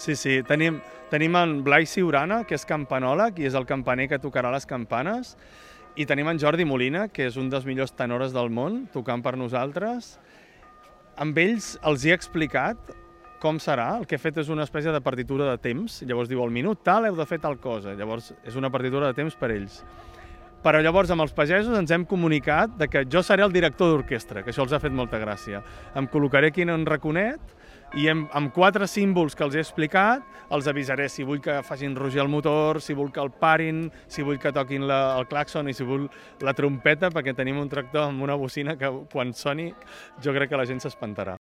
Sí, sí, tenim en Blai Siurana, que és campanòleg i és el campaner que tocarà les campanes, i tenim en Jordi Molina, que és un dels millors tenores del món, tocant per nosaltres. Amb ells els he explicat com serà. El que he fet és una espècie de partitura de temps. Llavors diu, al minut tal heu de fer tal cosa. Llavors és una partitura de temps per ells. Però llavors amb els pagesos ens hem comunicat de que jo seré el director d'orquestra, que això els ha fet molta gràcia. Em col·locaré aquí en un raconet i amb 4 símbols que els he explicat els avisaré si vull que facin rugir el motor, si vull que el parin, si vull que toquin el clàxon i si vull la trompeta, perquè tenim un tractor amb una bocina que quan soni jo crec que la gent s'espantarà.